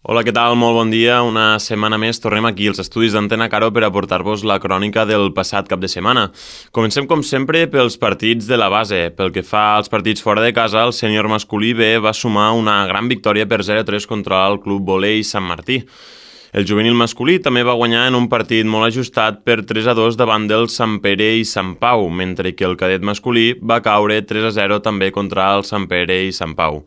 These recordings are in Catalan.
Hola, què tal? Molt bon dia. Una setmana més tornem aquí als estudis d'Antena Caro per aportar-vos la crònica del passat cap de setmana. Comencem, com sempre, pels partits de la base. Pel que fa als partits fora de casa, el sènior masculí B va sumar una gran victòria per 0-3 contra el Club Volei Sant Martí. El juvenil masculí també va guanyar en un partit molt ajustat per 3-2 davant del Sant Pere i Sant Pau, mentre que el cadet masculí va caure 3-0 també contra el Sant Pere i Sant Pau.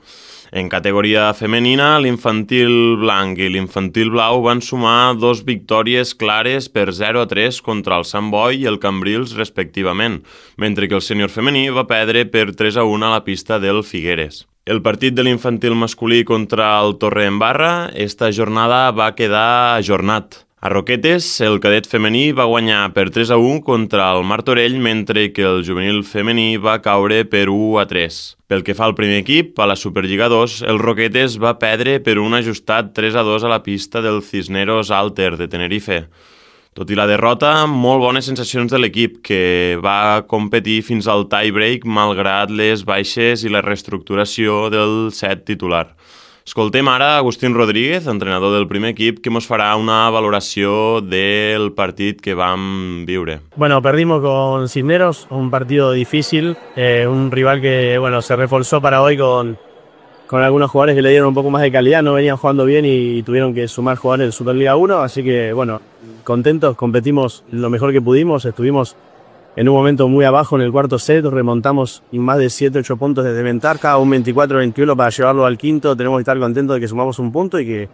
En categoria femenina, l'infantil blanc i l'infantil blau van sumar 2 victòries clares per 0-3 contra el Sant Boi i el Cambrils respectivament, mentre que el sènior femení va perdre per 3-1 a la pista del Figueres. El partit de l'infantil masculí contra el Torredembarra, esta jornada va quedar ajornat. A Roquetes, el cadet femení va guanyar per 3-1 contra el Martorell, mentre que el juvenil femení va caure per 1-3. Pel que fa al primer equip, a la Superliga 2, el Roquetes va perdre per un ajustat 3-2 a la pista del Cisneros Alter de Tenerife. Tot i la derrota, molt bones sensacions de l'equip, que va competir fins al tie-break malgrat les baixes i la reestructuració del set titular. Escoltem ara Agustín Rodríguez, entrenador del primer equip, que ens farà una valoració del partit que vam viure. Bueno, perdimos con Cisneros, un partido difícil, un rival que se reforzó para hoy con algunos jugadores que le dieron un poco más de calidad, no venían jugando bien y tuvieron que sumar jugadores de Superliga 1, así que contentos, competimos lo mejor que pudimos, estuvimos en un momento muy abajo en el cuarto set, remontamos más de 7-8 puntos desde ventaja, un 24-21 para llevarlo al quinto. Tenemos que estar contentos de que sumamos un punto y que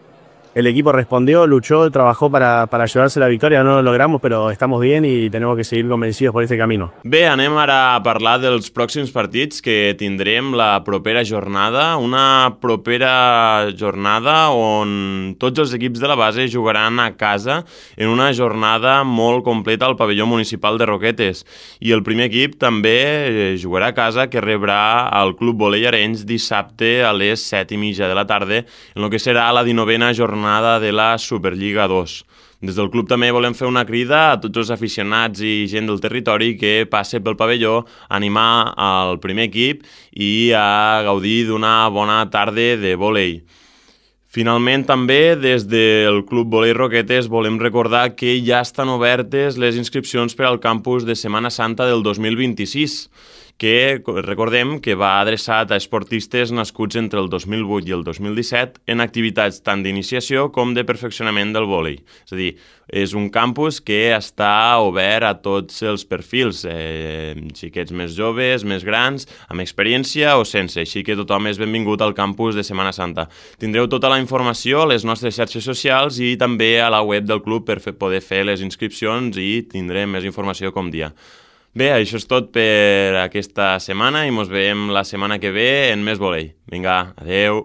el equipo respondió, luchó, trabajó para llevarse la victòria. No lo logramos, però estamos bien y tenemos que seguir convencidos por este camino. Bé, anem ara a parlar dels pròxims partits que tindrem la propera jornada. Una propera jornada on tots els equips de la base jugaran a casa en una jornada molt completa al pavelló municipal de Roquetes. I el primer equip també jugarà a casa, que rebrà el Club Volei Arenys dissabte a les 7:30 de la tarda, en el que serà la 19a jornada de la Superliga 2. Des del club també volem fer una crida a tots els aficionats i gent del territori que passe pel pavelló a animar al primer equip i a gaudir d'una bona tarda de vòlei. Finalment, també, des del Club Volei Roquetes volem recordar que ja estan obertes les inscripcions per al campus de Setmana Santa del 2026, que recordem que va adreçat a esportistes nascuts entre el 2008 i el 2017 en activitats tant d'iniciació com de perfeccionament del vòlei. És a dir, és un campus que està obert a tots els perfils, xiquets més joves, més grans, amb experiència o sense, així que tothom és benvingut al campus de Setmana Santa. Tindreu tota la informació a les nostres xarxes socials i també a la web del club per poder fer les inscripcions i tindrem més informació com dia. Bé, això és tot per aquesta setmana i ens veiem la setmana que ve en més vòlei. Vinga, adeu!